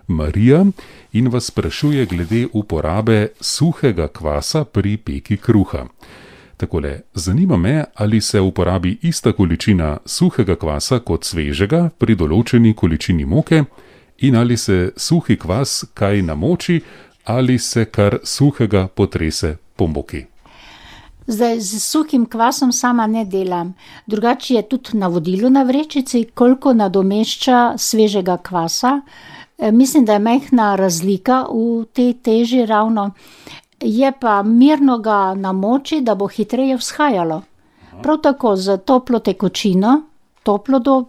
Marija in vas sprašuje glede uporabe suhega kvasa pri peki kruha. Takole, zanima me, ali se uporabi ista količina suhega kvasa kot svežega pri določeni količini moke in ali se suhi kvas kaj namoči ali se kar suhega potrese po moki. Zdaj, z suhim kvasom sama ne delam. Drugače je tudi navodilo na vrečici, koliko nadomešča svežega kvasa. Mislim, da je majhna razlika v tej teži ravno. Je pa mirno ga namoči, da bo hitreje vzhajalo. Prav tako z toplo tekočino, toplo do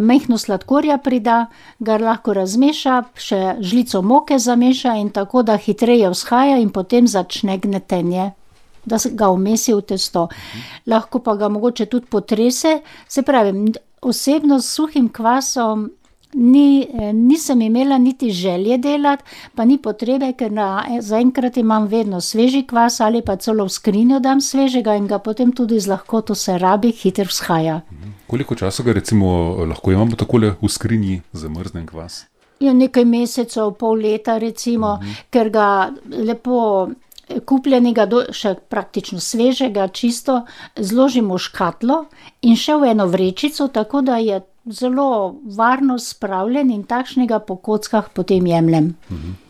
majhno sladkorja prida, ga lahko razmeša, še žlico moke zameša in tako, da hitreje vzhaja in potem začne gnetenje, da ga vmesi v testo. Lahko pa ga mogoče tudi potrese, se pravi, osebno s suhim kvasom nisem imela niti želje delati, pa ni potrebe, ker zaenkrat imam vedno sveži kvas ali pa celo v skrinjo dam svežega in ga potem tudi z lahkoto se rabi, hiter vzhaja. Koliko časa ga recimo lahko imamo takole v skrinji zamrznen kvas? Ja, nekaj mesecev, pol leta recimo, ker ga lepo kupljenega, še praktično svežega, čisto zložimo v škatlo in še v eno vrečico, tako da je zelo varno spravljen in takšnega po kockah potem jemljem.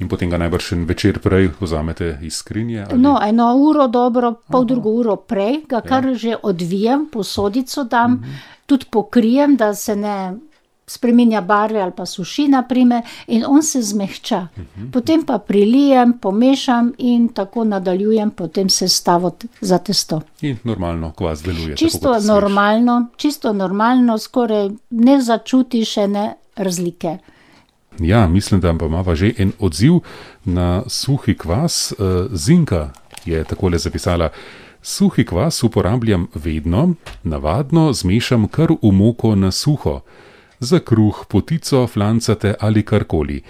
In potem ga najbrž večer prej vzamete iz skrinje? Ali? No, 1 uro dobro, pol drugo uro prej, ga kar že odvijem, posodico dam, tudi pokrijem, da se ne spreminja barve ali pa suši, naprimer, in on se zmehča. Potem pa prilijem, pomešam in tako nadaljujem potem sestavo za testo. In normalno kvas deluje. Čisto normalno, skoraj ne začuti še ne razlike. Ja, mislim, da pa imava že en odziv na suhi kvas. Zinka je takole zapisala: suhi kvas uporabljam vedno, navadno zmešam kar v moko na suho. Za kruh, potico, flancate ali karkoli.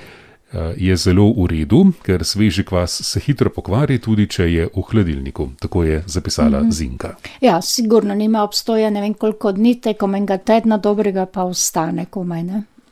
Je zelo v redu, ker sveži kvas se hitro pokvari, tudi če je v hladilniku. Tako je zapisala Zinka. Ja, sigurno nima obstoja ne vem koliko dni, tekom enega tedna dobrega pa ostane komaj, ne?